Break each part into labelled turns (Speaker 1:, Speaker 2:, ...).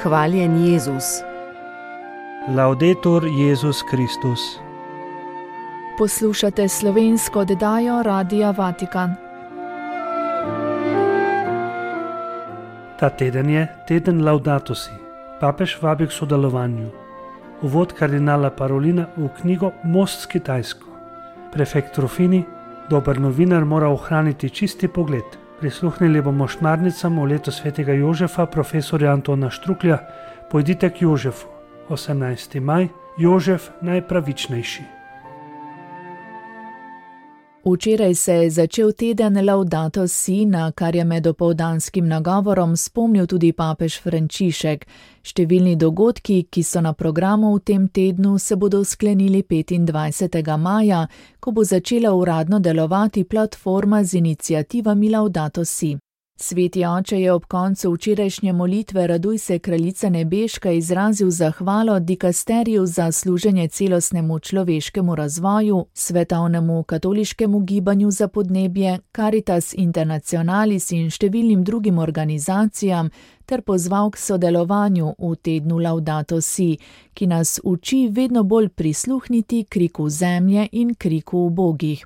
Speaker 1: Hvaljen Jezus.
Speaker 2: Laudetur Jezus Kristus.
Speaker 3: Poslušate slovensko oddajo Radia Vatikan.
Speaker 2: Ta teden je teden Laudato Si. Papež vabi k sodelovanju. Uvod kardinala Parolina v knjigo Most s Kitajsko. Prefekt Rufini, dober novinar, mora ohraniti čisti pogled. Prisluhnili bomo šmarnicam v leto svetega Jožefa, profesorja Antona Štruklja. Pojdite k Jožefu. 18. maj, Jožef najpravičnejši.
Speaker 3: Včeraj se je začel teden Laudato Si, na kar je med opoldanskim nagovorom spomnil tudi papež Frančišek. Številni dogodki, ki so na programu v tem tednu, se bodo sklenili 25. maja, ko bo začela uradno delovati platforma z iniciativami Laudato Si. Sveti oče je ob koncu včerajšnje molitve Raduj se, kraljica nebeška, izrazil zahvalo dikasteriju za služenje celostnemu človeškemu razvoju, svetovnemu katoliškemu gibanju za podnebje, Caritas Internationalis in številnim drugim organizacijam, ter pozval k sodelovanju v tednu Laudato Si, ki nas uči vedno bolj prisluhniti kriku zemlje in kriku ubogih.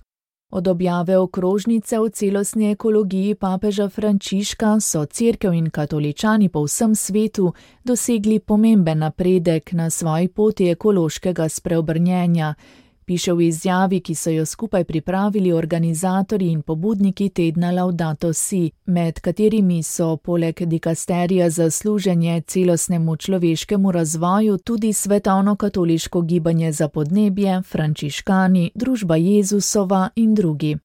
Speaker 3: Od objave okrožnice o celostni ekologiji papeža Frančiška so cerkev in katoličani po vsem svetu dosegli pomemben napredek na svoji poti ekološkega spreobrnjenja, piše v izjavi, ki so jo skupaj pripravili organizatorji in pobudniki tedna Laudato Si, med katerimi so poleg dikasterija za služenje celostnemu človeškemu razvoju tudi svetovno katoliško gibanje za podnebje, frančiškani, družba Jezusova in drugi.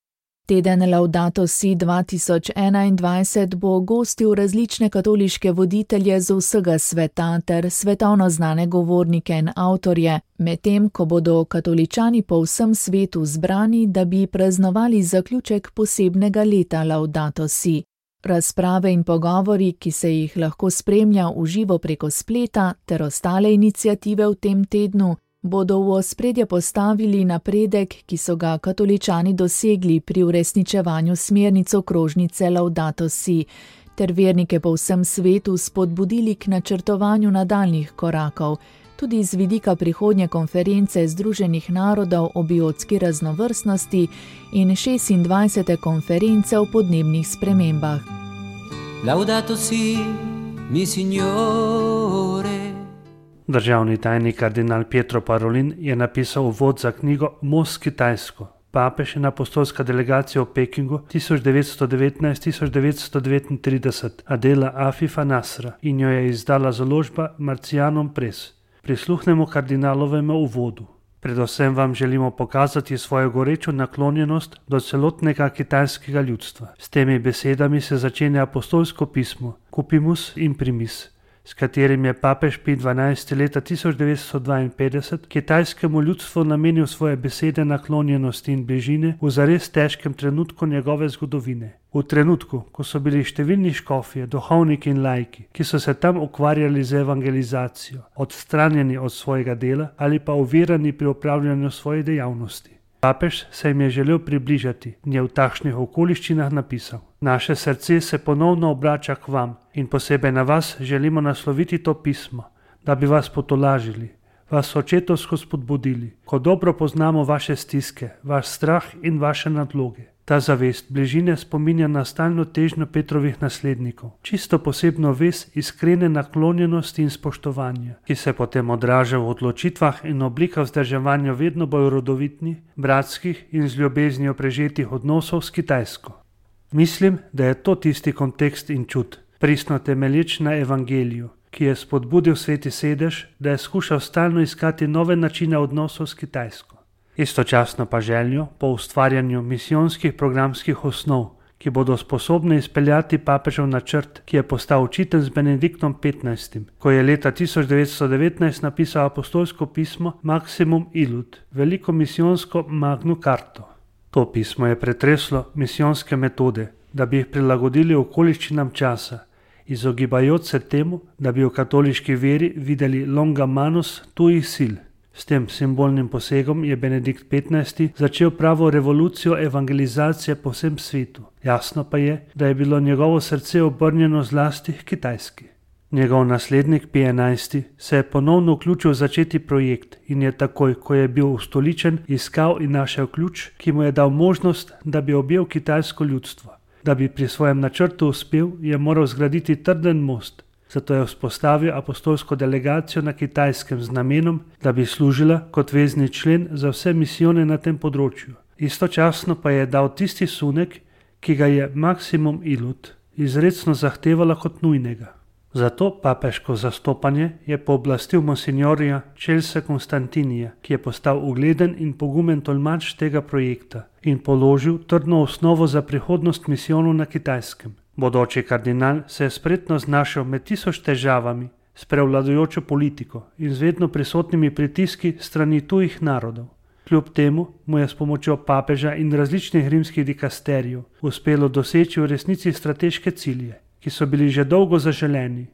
Speaker 3: Teden Laudato Si 2021 bo gostil različne katoliške voditelje z vsega sveta ter svetovno znane govornike in avtorje, medtem ko bodo katoličani po vsem svetu zbrani, da bi praznovali zaključek posebnega leta Laudato Si. Razprave in pogovori, ki se jih lahko spremlja v živo preko spleta, ter ostale iniciative v tem tednu, bodo v ospredje postavili napredek, ki so ga katoličani dosegli pri uresničevanju smernic okrožnice Laudato Si, ter vernike po vsem svetu spodbudili k načrtovanju nadaljnjih korakov, tudi z vidika prihodnje konference Združenih narodov o biotski raznovrstnosti in 26. konference o podnebnih spremembah.
Speaker 4: Laudato Si, mi signore.
Speaker 2: Državni tajnik kardinal Pietro Parolin je napisal uvod za knjigo Most s Kitajsko. Papež in apostolska delegacija v Pekingu 1919-1939, Adela Afifa Nasra, in jo je izdala založba Marcianon Press. Prisluhnemo kardinalovemu uvodu. Predvsem vam želimo pokazati svojo gorečo naklonjenost do celotnega kitajskega ljudstva. S temi besedami se začenja apostolsko pismo Cupimus Imprimis, s katerim je papež Pij XII. Leta 1952 kitajskemu ljudstvu namenil svoje besede naklonjenosti in bližine v zares težkem trenutku njegove zgodovine. V trenutku, ko so bili številni škofje, duhovniki in laiki, ki so se tam ukvarjali z evangelizacijo, odstranjeni od svojega dela ali pa ovirani pri opravljanju svoje dejavnosti. Papež se jim je želel približati in je v takšnih okoliščinah napisal: Naše srce se ponovno obrača k vam in posebej na vas želimo nasloviti to pismo, da bi vas potolažili, vas očetovsko spodbudili, ko dobro poznamo vaše stiske, vaš strah in vaše nadloge. Ta zavest bližine spominja na stalno težnjo Petrovih naslednikov, čisto posebno vez iskrene naklonjenosti in spoštovanja, ki se potem odraža v odločitvah in oblikah vzdrževanja vedno bolj rodovitnih, bratskih in z ljubeznijo prežetih odnosov s Kitajsko. Mislim, da je to tisti kontekst in čut, pristno temelječ na evangeliju, ki je spodbudil Sveti sedež, da je skušal stalno iskati nove načine odnosov s Kitajsko. Istočasno pa željo po ustvarjanju misijonskih programskih osnov, ki bodo sposobne izpeljati papežev načrt, ki je postal očiten z Benediktom XV., ko je leta 1919 napisal apostolsko pismo Maximum Illud, veliko misijonsko Magnu Carto. To pismo je pretreslo misijonske metode, da bi jih prilagodili okoliščinam časa, izogibajoč se temu, da bi v katoliški veri videli longa manus tuih sil. S tem simbolnim posegom je Benedikt XV. Začel pravo revolucijo evangelizacije po vsem svetu. Jasno pa je, da je bilo njegovo srce obrnjeno zlasti k Kitajski. Njegov naslednik Pij XI se je ponovno vključil v začeti projekt in je takoj, ko je bil ustoličen, iskal in našel ključ, ki mu je dal možnost, da bi objel kitajsko ljudstvo. Da bi pri svojem načrtu uspel, je moral zgraditi trden most. Zato je vzpostavil apostolsko delegacijo na Kitajskem z namenom, da bi služila kot vezni člen za vse misijone na tem področju. Istočasno pa je dal tisti sunek, ki ga je Maksimum Ilud izrecno zahtevala kot nujnega. Zato papeško zastopanje je pooblastil monsignorja Chelsea Constantinija, ki je postal ugleden in pogumen tolmač tega projekta in položil trdno osnovo za prihodnost misijonov na Kitajskem. Bodoči kardinal se je spretno znašel med 1000 težavami s prevladujočo politiko in z vedno prisotnimi pritiski strani tujih narodov. Kljub temu mu je s pomočjo papeža in različnih rimskih dikasterijev uspelo doseči v resnici strateške cilje, ki so bili že dolgo zaželeni.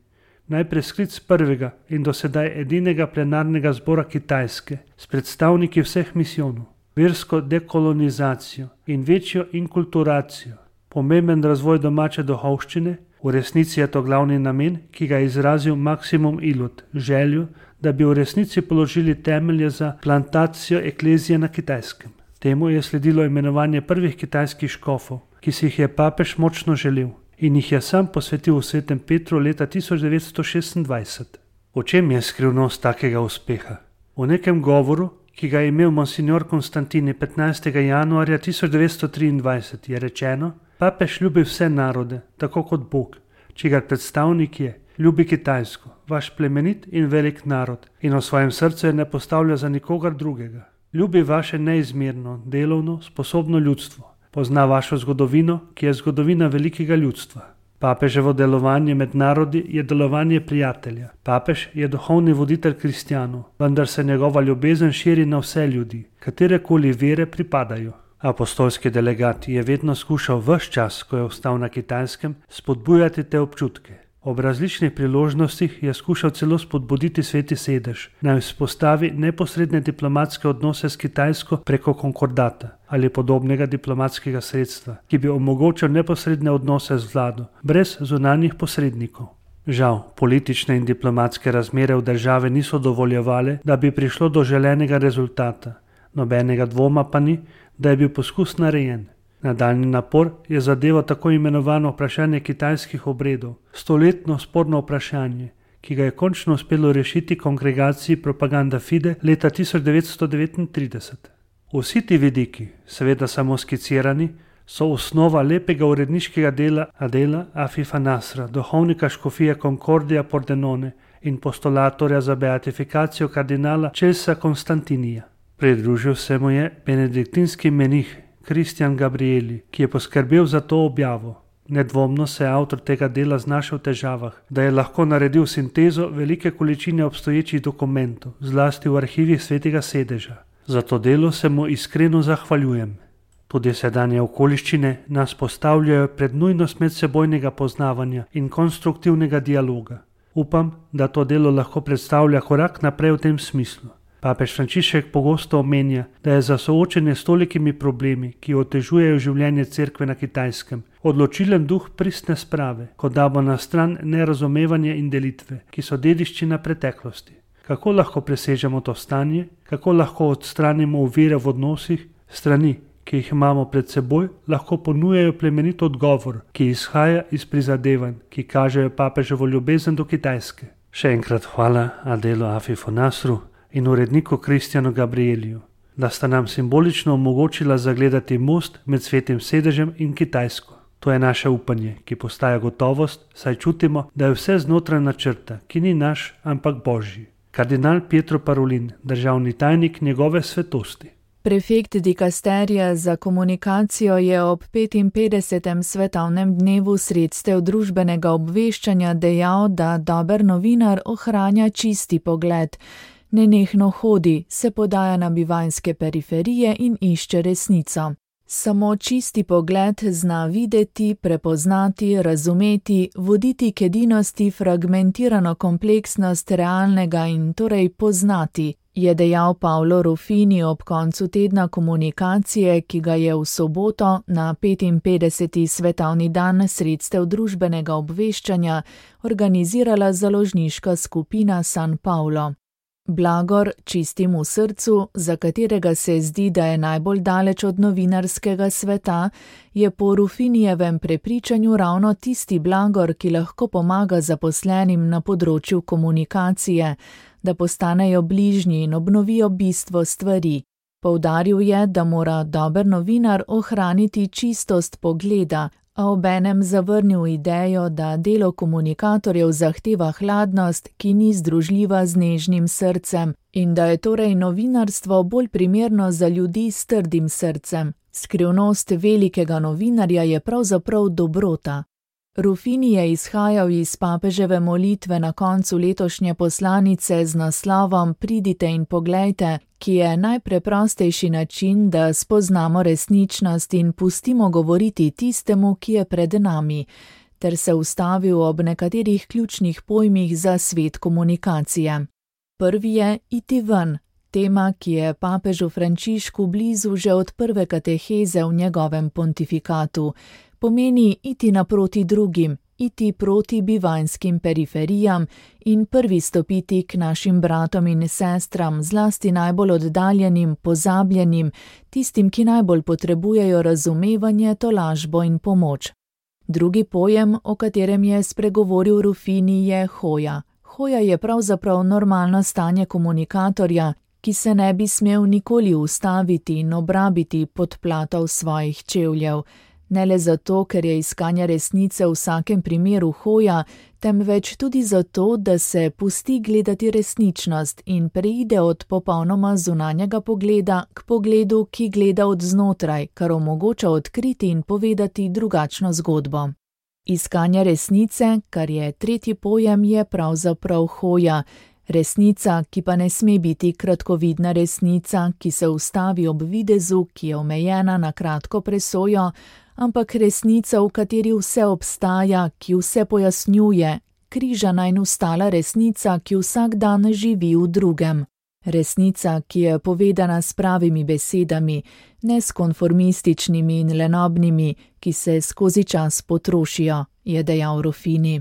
Speaker 2: Najprej sklic prvega in do sedaj edinega plenarnega zbora Kitajske s predstavniki vseh misijonov, versko dekolonizacijo in večjo inkulturacijo, pomemben razvoj domače duhovščine, v resnici je to glavni namen, ki ga je izrazil Maksimum Ilud, željo, da bi v resnici položili temelje za plantacijo eklezije na Kitajskem. Temu je sledilo imenovanje prvih kitajskih škofov, ki si jih je papež močno želel in jih je sam posvetil v Svetem Petru leta 1926. O čem je skrivnost takega uspeha? V nekem govoru, ki ga je imel monsignor Konstantini 15. januarja 1923, je rečeno: papež ljubi vse narode, tako kot Bog, čigar predstavnik je, ljubi Kitajsko, vaš plemenit in velik narod, in v svojem srcu je ne postavlja za nikogar drugega. Ljubi vaše neizmerno, delovno, sposobno ljudstvo. Pozna vašo zgodovino, ki je zgodovina velikega ljudstva. Papeževo delovanje med narodi je delovanje prijatelja. Papež je duhovni voditelj kristjanov, vendar se njegova ljubezen širi na vse ljudi, katerekoli vere pripadajo. Apostolski delegat je vedno skušal ves čas, ko je ostal na Kitajskem, spodbujati te občutke. Ob različnih priložnostih je skušal celo spodbuditi Sveti sedež, naj vzpostavi neposredne diplomatske odnose s Kitajsko preko konkordata ali podobnega diplomatskega sredstva, ki bi omogočal neposredne odnose z vlado, brez zunanjih posrednikov. Žal, politične in diplomatske razmere v državi niso dovoljevale, da bi prišlo do želenega rezultata. Nobenega dvoma pa ni, da je bil poskus narejen. Nadaljni napor je zadeval tako imenovano vprašanje kitajskih obredov, stoletno sporno vprašanje, ki ga je končno uspelo rešiti kongregaciji Propaganda Fide leta 1939. Vsi ti vidiki, seveda samo skicirani, so osnova lepega uredniškega dela Adela Afifa Nasra, duhovnika škofije Concordia Pordenone in postulatorja za beatifikacijo kardinala Chelsea Constantinija. Pridružil se mu je benediktinski menih Kristjan Gabrieli, ki je poskrbel za to objavo. Nedvomno se je avtor tega dela znašel v težavah, da je lahko naredil sintezo velike količine obstoječih dokumentov, zlasti v arhivih Svetega sedeža. Za to delo se mu iskreno zahvaljujem. Tudi sedanje okoliščine nas postavljajo pred nujnost medsebojnega poznavanja in konstruktivnega dialoga. Upam, da to delo lahko predstavlja korak naprej v tem smislu. Papež Frančišek pogosto omenja, da je za soočenje s tolikimi problemi, ki otežujejo življenje cerkve na Kitajskem, odločilen duh pristne sprave, kot da bo na stran nerazumevanje in delitve, ki so dediščina preteklosti. Kako lahko presežemo to stanje, kako lahko odstranimo ovire v odnosih, strani, ki jih imamo pred seboj, lahko ponujajo plemenit odgovor, ki izhaja iz prizadevanj, ki kažejo papeževo ljubezen do Kitajske. Še enkrat hvala Adelu Afifu Nasru in uredniku Kristjanu Gabrieliju, da sta nam simbolično omogočila zagledati most med Svetim sedežem in Kitajsko. To je naše upanje, ki postaja gotovost, saj čutimo, da je vse znotraj načrta, ki ni naš, ampak Božji. Kardinal Pietro Parolin, državni tajnik njegove svetosti.
Speaker 3: Prefekt dikasterija za komunikacijo je ob 55. svetovnem dnevu sredstev družbenega obveščanja dejal, da dober novinar ohranja čisti pogled. Nenehno hodi, se podaja na bivanjske periferije in išče resnico. Samo čisti pogled zna videti, prepoznati, razumeti, voditi k edinosti fragmentirano kompleksnost realnega in torej poznati. je dejal Paolo Ruffini ob koncu tedna komunikacije, ki ga je v soboto na 55. svetovni dan sredstev družbenega obveščanja organizirala založniška skupina San Paulo. Blagor čistim v srcu, za katerega se zdi, da je najbolj daleč od novinarskega sveta, je po Ruffinijevem prepričanju ravno tisti blagor, ki lahko pomaga zaposlenim na področju komunikacije, da postanejo bližnji in obnovijo bistvo stvari. Poudaril je, da mora dober novinar ohraniti čistost pogleda, a obenem zavrnil idejo, da delo komunikatorjev zahteva hladnost, ki ni združljiva z nežnim srcem, in da je torej novinarstvo bolj primerno za ljudi s trdim srcem. Skrivnost velikega novinarja je pravzaprav dobrota. Ruffini je izhajal iz papeževe molitve na koncu letošnje poslanice z naslovom Pridite in poglejte, ki je najpreprostejši način, da spoznamo resničnost in pustimo govoriti tistemu, ki je pred nami, ter se ustavil ob nekaterih ključnih pojmih za svet komunikacije. Prvi je iti ven, tema, ki je papežu Frančišku blizu že od prve kateheze v njegovem pontifikatu. Pomeni iti naproti drugim, iti proti bivanjskim periferijam in prvi stopiti k našim bratom in sestram, zlasti najbolj oddaljenim, pozabljenim, tistim, ki najbolj potrebujejo razumevanje, tolažbo in pomoč. Drugi pojem, o katerem je spregovoril Ruffini, je hoja. Hoja je pravzaprav normalno stanje komunikatorja, ki se ne bi smel nikoli ustaviti in obrabiti podplatov svojih čevljev. Ne le zato, ker je iskanje resnice v vsakem primeru hoja, temveč tudi zato, da se pusti gledati resničnost in preide od popolnoma zunanjega pogleda k pogledu, ki gleda od znotraj, kar omogoča odkriti in povedati drugačno zgodbo. Iskanje resnice, kar je tretji pojem, je pravzaprav hoja. Resnica, ki pa ne sme biti kratkovidna resnica, ki se ustavi ob videzu, ki je omejena na kratko presojo, ampak resnica, v kateri vse obstaja, ki vse pojasnjuje, križana in ustala resnica, ki vsak dan živi v drugem. Resnica, ki je povedana s pravimi besedami, ne s konformističnimi in lenobnimi, ki se skozi čas potrošijo, je dejal Ruffini.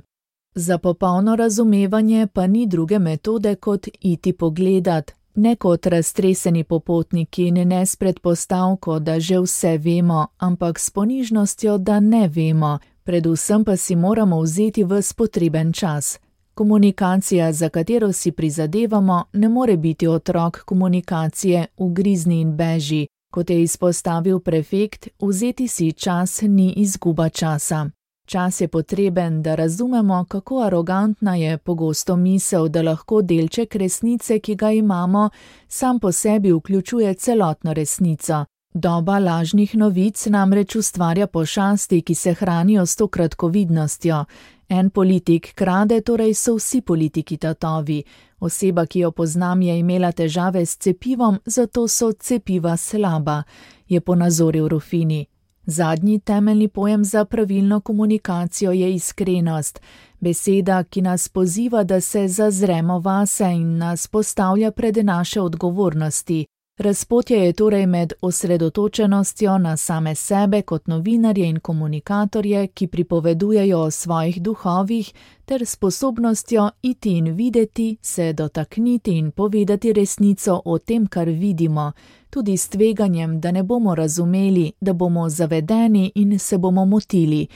Speaker 3: Za popolno razumevanje pa ni druge metode kot iti pogledat, ne kot raztreseni popotniki in ne s predpostavko, da že vse vemo, ampak s ponižnostjo, da ne vemo, predvsem pa si moramo vzeti ves potreben čas. Komunikacija, za katero si prizadevamo, ne more biti otrok komunikacije ugrizni in beži. Kot je izpostavil prefekt, vzeti si čas ni izguba časa. Čas je potreben, da razumemo, kako arogantna je pogosto misel, da lahko delček resnice, ki ga imamo, sam po sebi vključuje celotno resnico. Doba lažnih novic namreč ustvarja pošasti, ki se hranijo s to kratkovidnostjo. En politik krade, torej so vsi politiki tatovi. Oseba, ki jo poznam, je imela težave s cepivom, zato so cepiva slaba, je ponazoril Ruffini. Zadnji temeljni pojem za pravilno komunikacijo je iskrenost, beseda, ki nas poziva, da se zazremo vase in nas postavlja pred naše odgovornosti. Razpotje je torej med osredotočenostjo na same sebe kot novinarje in komunikatorje, ki pripovedujejo o svojih duhovih, ter sposobnostjo iti in videti, se dotakniti in povedati resnico o tem, kar vidimo, tudi s tveganjem, da ne bomo razumeli, da bomo zavedeni in se bomo motili.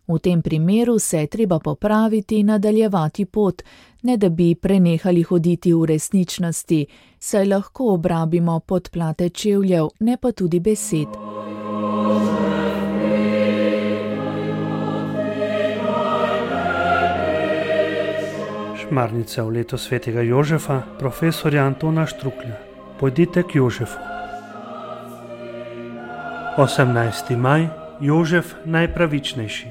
Speaker 3: V tem primeru se je treba popraviti in nadaljevati pot, ne da bi prenehali hoditi v resničnosti, saj lahko obrabimo podplate čevljev, ne pa tudi besed.
Speaker 2: Šmarnica v leto svetega Jožefa, profesorja Antona Štruklja. Pojdite k Jožefu. 18. maj, Jožef najpravičnejši.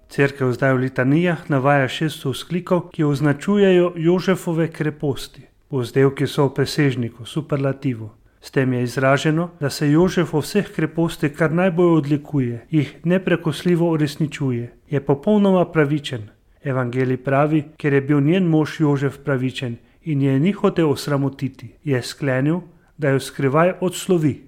Speaker 2: Cerkev zdaj v litanijah navaja 6 vzklikov, ki označujejo Jožefove kreposti. Vzdevki so v presežniku, superlativu. S tem je izraženo, da se Jožef v vseh krepostih kar najbolj odlikuje, jih neprekosljivo uresničuje. Je popolnoma pravičen. Evangelij pravi, ker je bil njen mož Jožef pravičen in je ni hotel osramotiti, je sklenil, da jo skrivaj odslovi.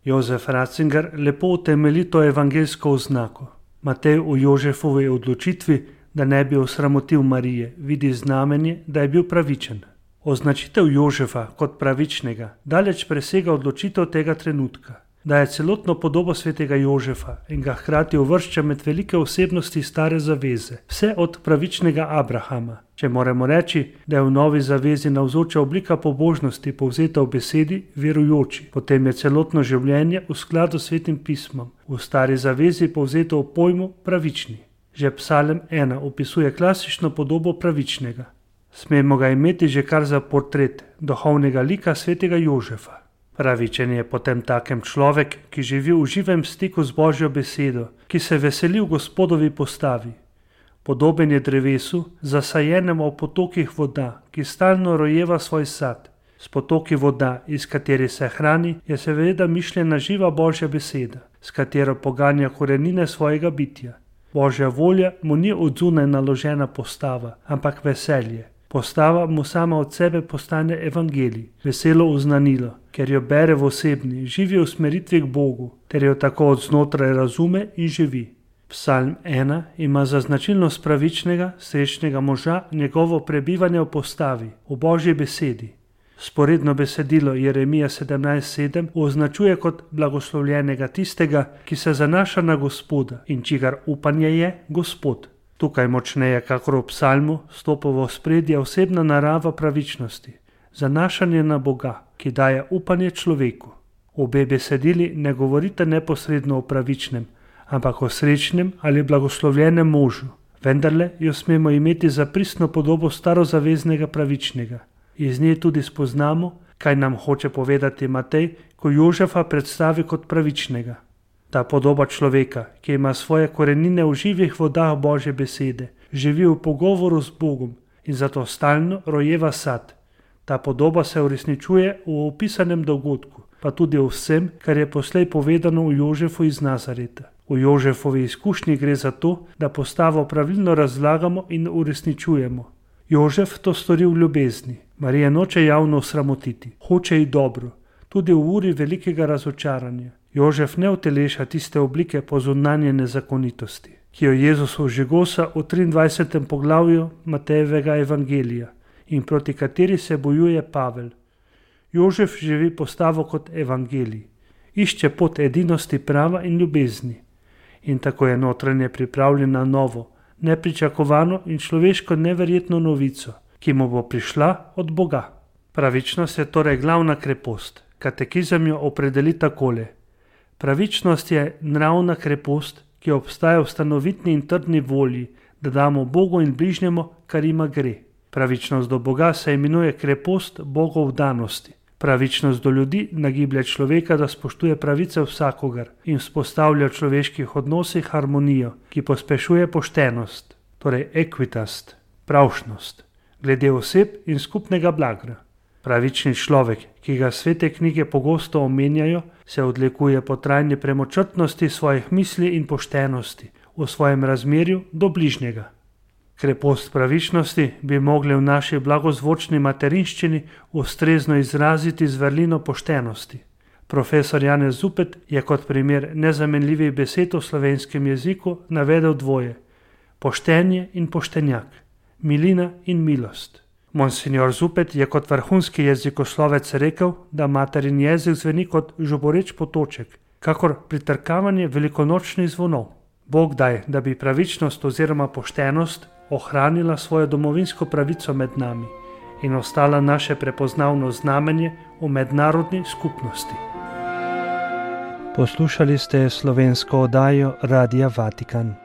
Speaker 2: Jozef Ratzinger lepo utemelji to evangeljsko oznako. Matej v Jožefovi odločitvi, da ne bi osramotil Marije, vidi znamenje, da je bil pravičen. Označitev Jožefa kot pravičnega daleč presega odločitev tega trenutka. Daje celotno podobo svetega Jožefa in ga hkrati uvršča med velike osebnosti stare zaveze, vse od pravičnega Abrahama. Če moramo reči, da je v novi zavezi navzoča oblika pobožnosti povzeta v besedi verujoči, potem je celotno življenje v skladu s svetim pismom, v stari zavezi povzeto v pojmu pravični. Že Psalm 1 opisuje klasično podobo pravičnega. Smemo ga imeti že kar za portret duhovnega lika svetega Jožefa. Pravičen je potem takem človek, ki živi v živem stiku z Božjo besedo, ki se veseli v Gospodovi postavi. Podoben je drevesu, zasajenemu v potokih voda, ki stalno rojeva svoj sad. S potoki voda, iz katerih se hrani, je seveda mišljena živa Božja beseda, s katero poganja korenine svojega bitja. Božja volja mu ni od zunaj naložena postava, ampak veselje. Postava mu sama od sebe postane evangelij, veselo oznanilo, ker jo bere v osebni, živi usmeritvi k Bogu, ter jo tako od znotraj razume in živi. Psalm 1 ima za značilnost pravičnega, srečnega moža njegovo prebivanje v postavi, v Božji besedi. Sporedno besedilo Jeremija 17:7 označuje kot blagoslovljenega tistega, ki se zanaša na Gospoda in čigar upanje je Gospod. Tukaj močneje, kakor v psalmu, stopa v ospredje osebna narava pravičnosti, zanašanje na Boga, ki daje upanje človeku. Obe besedili ne govorite neposredno o pravičnem, ampak o srečnem ali blagoslovljenem možu, vendarle jo smemo imeti za pristno podobo starozaveznega pravičnega. Iz nje tudi spoznamo, kaj nam hoče povedati Matej, ko Jožefa predstavi kot pravičnega. Ta podoba človeka, ki ima svoje korenine v živih vodah Božje besede, živi v pogovoru z Bogom in zato stalno rojeva sad. Ta podoba se uresničuje v opisanem dogodku, pa tudi v vsem, kar je poslej povedano v Jožefu iz Nazareta. V Jožefovi izkušnji gre za to, da postavo pravilno razlagamo in uresničujemo. Jožef to stori v ljubezni. Marija noče javno osramotiti, hoče ji dobro, tudi v uri velikega razočaranja. Jožef ne uteleša tiste oblike pozunanjene zakonitosti, ki jo Jezus ožigosa v 23. poglavju Matejevega evangelija in proti kateri se bojuje Pavel. Jožef živi postavo kot evangelij, išče pot edinosti prava in ljubezni in tako je notranje pripravljen na novo, nepričakovano in človeško neverjetno novico, ki mu bo prišla od Boga. Pravičnost je torej glavna krepost. Katekizem jo opredeli takole. Pravičnost je nravna krepost, ki obstaja v stanovitni in trdni volji, da damo Bogu in bližnjemu, kar ima gre. Pravičnost do Boga se imenuje krepost Bogov danosti. Pravičnost do ljudi nagiblje človeka, da spoštuje pravice vsakogar in vzpostavlja v človeških odnosih harmonijo, ki pospešuje poštenost, torej equitast, pravšnost, glede oseb in skupnega blaga. Pravični človek, ki ga svete knjige pogosto omenjajo, se odlikuje po trajni premočrtnosti svojih misli in poštenosti v svojem razmerju do bližnjega. Krepost pravičnosti bi mogli v naši blagozvočni materinščini ustrezno izraziti z vrlino poštenosti. Profesor Janez Zupet je kot primer nezamenljivih besed v slovenskem jeziku navedel dvoje: poštenje in poštenjak, milina in milost. Monsignor Zupet je kot vrhunski jezikoslovec rekel, da materin jezik zveni kot žuboreč potoček, kakor pritrkavanje velikonočnih zvonov. Bog daj, da bi pravičnost oziroma poštenost ohranila svojo domovinsko pravico med nami in ostala naše prepoznavno znamenje v mednarodni skupnosti. Poslušali ste slovensko oddajo Radia Vatikan.